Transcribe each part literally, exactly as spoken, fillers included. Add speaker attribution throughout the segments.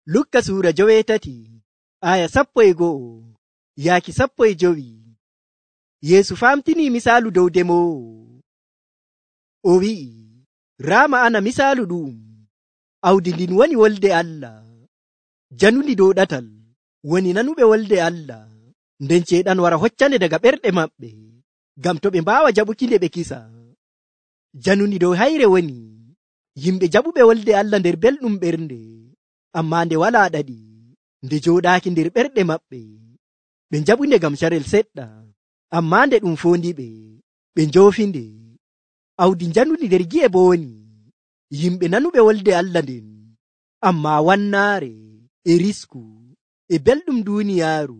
Speaker 1: Lukka suura joweetati aya sappo e go'o yaaki sappo e jowi. Yeesu famtinii misaalu dow demoowo. O wi'i, raa ma'ana misaalu ɗu'um. Awdi ndin woni wolde Allah. Janundi dow ɗatal woni nanuɓe wolde Allah, nden ceeɗan wara hoccande daga ɓerɗe maɓɓe, ngam to ɓe mbaawa jaɓuki nde ɓe kisa. Janundi dow hayre woni yimɓe jaɓuɓe wolde Allah nder belɗum ɓernde, ammaa nde walaa ɗaɗi, nde jooɗaaki nder ɓerɗe maɓɓe. Ɓe njaɓunde ngam carel seɗɗa, ammaa nde ɗum foondiɓe, ɓe njoofinde. Awdi janundi nder gi'e bo woni yimɓe nanuɓe wolde Allah nden, ammaa wannaare e risku e belɗum duuniyaaru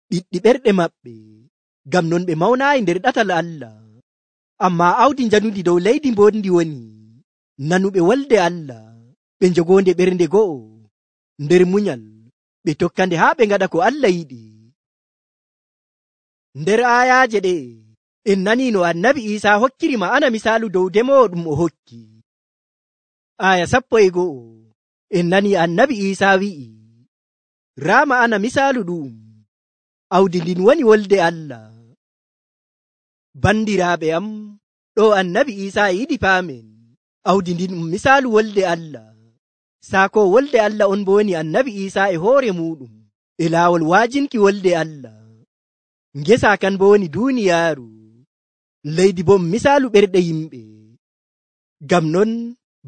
Speaker 1: ɓiɗɗi ɓerɗe maɓɓe, ngam non ɓe mawnaayi nder ɗatal Allah. Ammaa awdi janundi dow leydi mbondi woni nanuɓe wolde Allah, ɓe njogoonde ɓernde go'o nder munyal, ɓe tokkande haa ɓe ngaɗa ko Allah yiɗi. Nder aayaaje ɗe en nanii no annabi Iisaa hokkiri ma'ana misaalu dow demoowo ɗum o hokki. Aya sappo e go'o en nanii annabi Iisaa wi'i, raa ma'ana misaalu ɗu'um. Awdi ndin woni wolde Allah. Bandiraaɓe am, ɗo annabi Iisaa e yiɗi paamen awdi ndin ɗum misaalu wolde Allah. Saako wolde Allah on bo woni annabi Iisaa e hoore muɗum e laawol waajinki wolde Allah. Ngesa kan bo woni duuniyaaru, leydi bo misaalu ɓerɗe yimɓe. Ngam non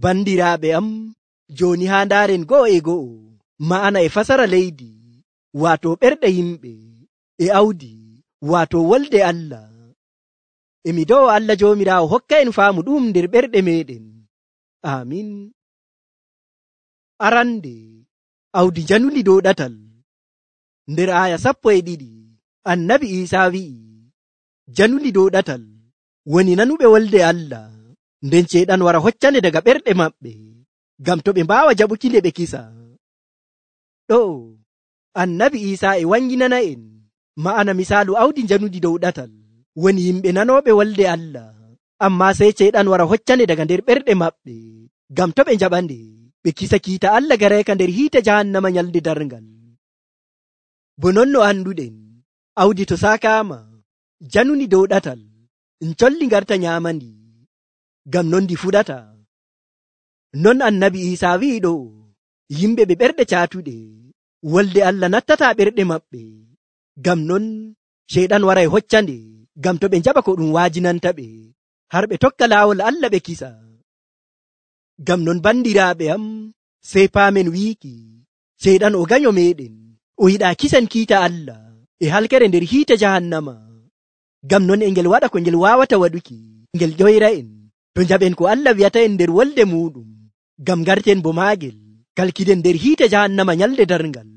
Speaker 1: bandiraaɓe am, jooni haa ndaaren go'o e go'o ma'ana e fasara leydi, waato ɓerɗe yimɓe, e awdi waato wolde Allah. Emi do'o Allah Joomiraawo hokka en faamu ɗum nder ɓerɗe meɗen. Amin. Arande, awdi janundi dow ɗatal. Nder aya sappo e ɗiɗi annabi Iisaa wi'i, janundi dow ɗatal woni nanuɓe wolde Allah, nden ceeɗan wara hoccande daga ɓerɗe maɓɓe, ngam to ɓe mbaawa jaɓuki nde ɓe kisa. Ɗo annabi Iisaa e wanginana en ma'ana misaalu awdi janundi dow ɗatal woni yimɓe nanooɓe wolde Allah, ammaa sey ceeɗan wara hoccande daga nder ɓerɗe maɓɓe, ngam to ɓe njaɓande ɓe kisa kiita Allah gareeka nder hiite jahannama nyalde darngal. Bo non no anduɗen, awdi to saakaama janundi dow ɗatal, en colli ngarta nyaamandi, ngam non ndi fuɗata. Non annabi Iisaa wi'i ɗo, yimɓe ɓe ɓerɗe caatuɗe wolde Allah nattata ɓerɗe maɓɓe, ngam non ceeɗan waray hoccande, ngam to ɓe njaɓa ko ɗum waajinanta ɓe, har ɓe tokka laawol Allah ɓe kisa. Ngam non bandiraaɓe am, sey paamen wiiki ceeɗan o ganyo meɗen, o yiɗaa kisan kiita Allah e halkere nder hiite jahannama. Ngam non e ngel waɗa ko ngel waawata waɗuki, ngel ƴoyra en to njaɓen ko Allah wi'ata en nder wolde muɗum, ngam ngarten bo maagel kalkiden nder hiite jahannama nyalde darngal.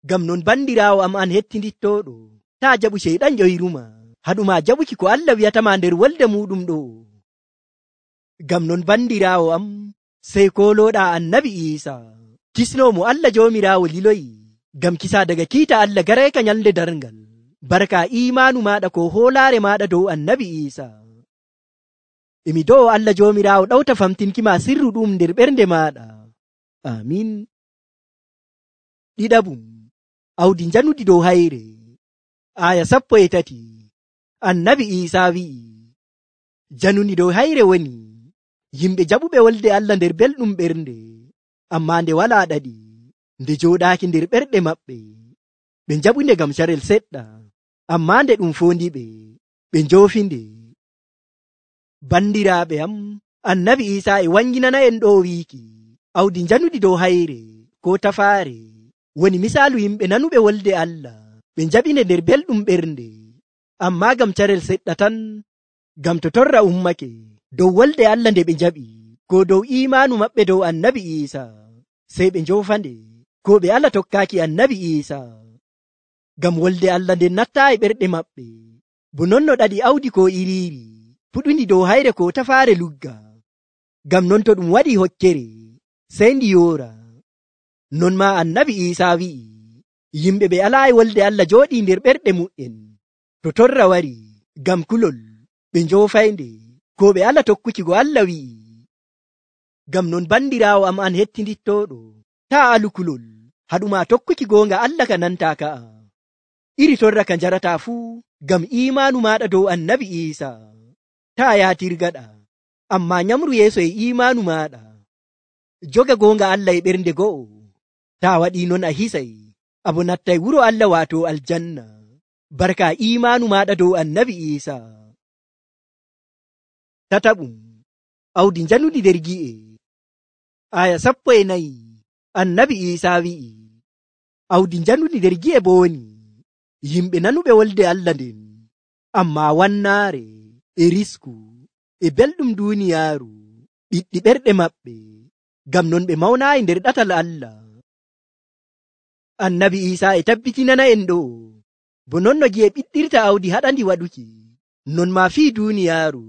Speaker 1: Ngam non bandiraawo am an hettindittoɗo, taa jaɓu ceyɗan ƴoyruma, haɗuma jaɓuki ko Allah wi'atama nder wolde muɗum ɗo. Ngam non bandiraawo am, sey kolooɗa annabi Iisaa, kisnomo Allah Joomiraawo liloyi, ngam kisa daga kiita Allah gareeka nyalde darngal, barka imaanu maɗa ko hoolaare maɗa dow annabi Iisaa. Emi do'o Allah Joomiraawo ɗawta famtinkima sirru ɗum nder ɓernde maɗa. Amin. Ɗiɗabum, awdi janundi dow hayre. Aya sappo e tati annabi Iisaa wi'i, janundi dow hayre woni yimɓe jaɓuɓe wolde Allah nder belɗum ɓernde, ammaa nde walaa ɗaɗi, nde jooɗaaki nder ɓerɗe maɓɓe, ɓe njaɓunde ngam carel seɗɗa, ammaa nde ɗum foondiɓe, ɓe njoofinde. Bandiraaɓe am, annabi Iisaa e wanginana en ɗo wiiki, awdi janundi dow hayre ko tafaare woni misaalu yimɓe nanuɓe wolde Allah, ɓe njaɓinde nder belɗum ɓernde, ammaa ngam carel seɗɗa tan, ngam to torra ummake dow wolde Allah nde ɓe njaɓi, ko dow imaanu maɓɓe dow annabi Iisaa, sey ɓe njoofande, ko ɓe ala tokkaaki annabi Iisaa. Ngam wolde Allah nden nattaayi ɓerɗe maɓɓe, bo non no ɗaɗi awdi ko iriiri puɗundi dow hayre ko tafaare lugga. Ngam non to ɗum waɗi hokkere, sey ndi yoora. Non ma annabi Iisaa wi'i, yimɓe ɓe alaayi wolde Allah jooɗii nder ɓerɗe mu'en, to torra wari ngam kulol ɓe njoofaynde, ko ɓe ala tokkuki go Allah wi'i. Ngam non bandiraawo am an hettindittoɗo, taa alu kulol haɗuma tokkuki goonga Allah ka nanta ka'a iri torra ka jarata fuu ngam imaanu maɗa dow annabi Isa taa yaatirgaɗa amma nyamru yeeso e imaanu maɗa joga goonga Allah e ɓernde go'o taa waɗi non a hisay abo nattay wuro Allah waato aljanna barka imaanu maɗa dow annabi Isa. Tataɓum awdi njanuɗi nder gi'e aya sappo e nayi annabi Isa wi'i awdi njanuɗi nder gi'e bo woni yimɓe nanuɓe wolde Allah nden amma wannaare e risku e belɗum duuniyaaru ɓiɗɗi ɓerɗe maɓɓe ngam non ɓe mawnaayi nder ɗatal Allah. Annabi Isa e tabbitinana en ɗo bo non no gi'e ɓiɗɗirta awdi haɗandi waɗuki non ma fii duuniyaaru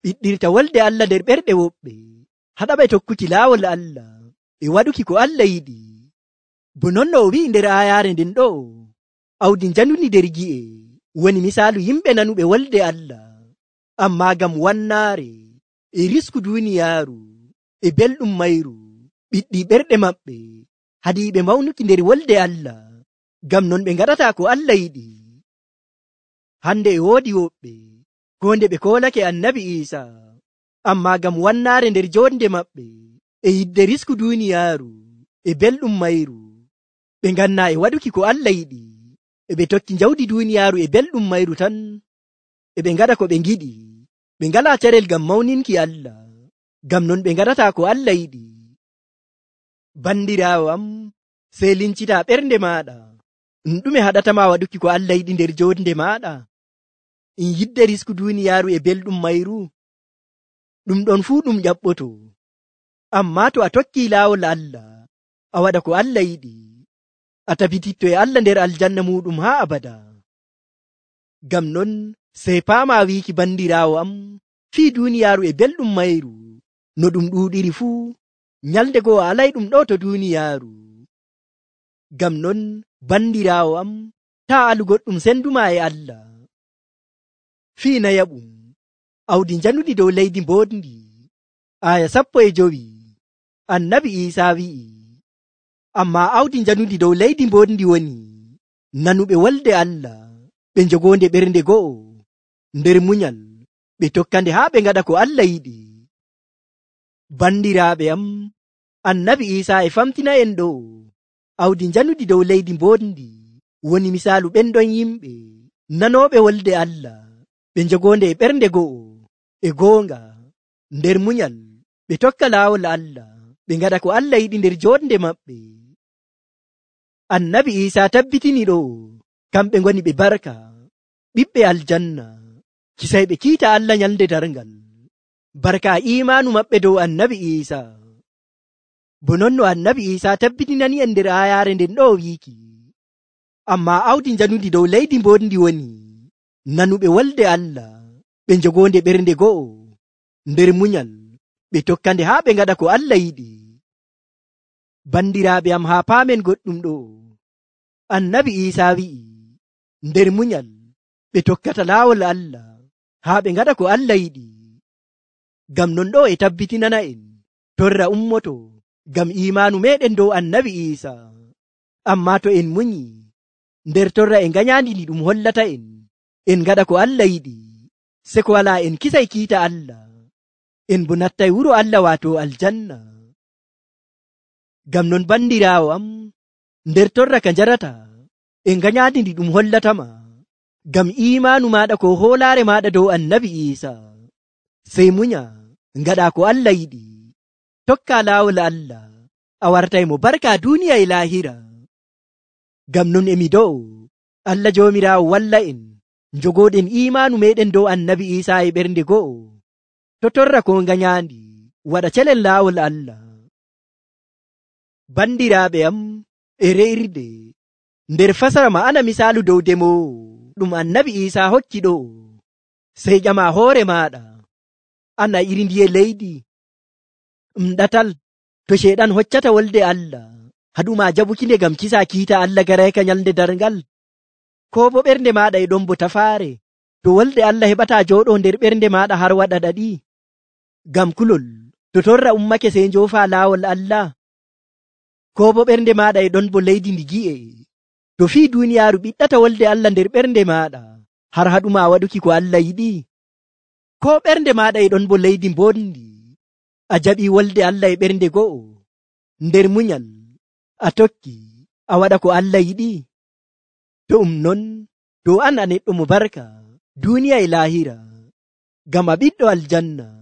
Speaker 1: ɓiɗɗirta wolde Allah nder ɓerɗe woɓɓe haɗaɓe tokkuki laawol Allah e waɗuki ko Allah yiɗi bo non no o wi'i nder aayaare nden ɗo awdi njanundi nder gi'e woni misaalu yimɓe nanuɓe wolde Allah amma ngam wannaare e risku duuniyaaru e belɗum mayru ɓiɗɗi ɓerɗe maɓɓe hadiiɓe mawnuki nder wolde Allah ngam non ɓe ngaɗata ko Allah yiɗi. Hande e woodi woɓɓe ko nde ɓe koolake annabi Isa amma ngam wannaare nder jonde maɓɓe e yidde risku duuniyaaru e belɗum mayru ɓe nganna e waɗuki ko Allah yiɗi e ɓe tokki jawdi duuniyaaru e belɗum mayru tan e ɓe ngaɗa ko ɓe ngiɗi ɓe ngala carel ngam mawninki Allah ngam non ɓe ngaɗata ko Allah yiɗi. Bandiraawo am sey lincita ɓernde maɗa ɗum ɗume haɗatama waɗuki ko Allah yiɗi nder jonde maɗa in yidde risku duuniyaaru e belɗum mayru ɗum ɗon fuu ɗum ƴaɓɓoto amma to a tokki laawol Allah a waɗa ko Allah yiɗi a tabititto e Allah nder aljanna muɗum haa abada. Ngam non sey paama wiiki bandiraawo am fii duuniyaaru e belɗum mayru no ɗum ɗuuɗiri fuu nyalde goo a alay ɗum ɗo to duuniyaaru. Ngam non bandiraawo am taa alu goɗɗum senduma e Allah. Fii nayaɓum awdi njanuɗi dow leydi mboɗndi aya sappo e jowi annabi Isa wi'i amma awdi njanuɗi dow leydi mboɗndi woni nanuɓe wolde Allah ɓe jogonde ɓernde go'o nder munyal ɓe tokkande haa ɓe ngaɗa ko Allah yiɗi. Bandiraaɓe am annabi Isa e famtina en ɗo awdi njanuɗi dow leydi mboɗndi woni misaalu ɓen ɗon yimɓe nanooɓe wolde Allah ɓe jogonde e ɓernde go'o e goonga nder munyal ɓe tokka laawol Allah ɓe ngaɗa ko Allah yiɗi nder jonde maɓɓe. Annabi Isa tabbitini ɗo kamɓe ngoni ɓe barka ɓiɓɓe aljanna kisayɓe kiita Allah nyalde darngal barka imaanu maɓɓe dow annabi Isa. Bo non no annabi Isa tabbitinani en nder aayaare nden ɗo wiiki amma awdi njanundi dow leydi mboɗndi woni nanuɓe wolde Allah ɓe jogonde ɓernde go'o nder munyal ɓe tokkande haa ɓe ngaɗa ko Allah yiɗi. Bandiraaɓe am haa paamen goɗɗum ɗo annabi Isa wi'i nder munyal ɓe tokkata laawol Allah haa ɓe ngaɗa ko Allah yiɗi. Ngam non ɗo e tabbitinana en torra ummoto ngam imaanu meɗen dow annabi Isa amma to en munyi nder torra e nganyandi ndi ɗum hollata en en ngaɗa ko Allah yiɗi se ko wala en kisay kiita Allah en bo nattay wuro Allah waato aljanna. Ngam non bandiraawo am nder torra ka jarata e nganyandi ndi ɗum hollatama ngam imaanu maɗa ko hoolaare maɗa dow annabi Isa sey munya ngaɗa ko Allah yiɗi tokka laawol Allah a wartay mo barka duniya e lahira. Ngam non emi do'o Allah joomiraawo walla en jogoɗen imaanu meɗen dow annabi Isa e ɓernde go'o to torra ko nganyandi waɗa celen laawol Allah. Bandiraaɓe am e re'irde nder fasara ma'ana misaalu dow demowo ɗum annabi Isa hokki ɗo sey ƴama hoore maɗa ana iri ndiye leydi ɗum ɗatal to sheɗan hoccata wolde Allah haɗuma jabukinde ngam kisa kiita Allah garayka nyalde darngal ko bo ɓernde maɗa e ɗon bo tafaare to wolde Allah heɓata jooɗo nder ɓernde maɗa har waɗa ɗaɗi ngam kulol to torra ummake sey njoofa laawol Allah. ko bo ɓernde maɗa e ɗon bo leydi ndi gi'e, to fii duniyaaru ɓiɗɗata wolde Allah nder ɓernde maɗa har haɗuma waɗuki ko Allah yiɗi? Ko ɓernde maɗa e ɗon bo leydi mbondi, a jaɓi wolde Allah e ɓernde go'o, nder munyal a tokki a waɗa ko Allah yiɗi? To um non, dow an a neɗɗo mo barka duniya e lahira, ngam a ɓiɗɗo aljanna.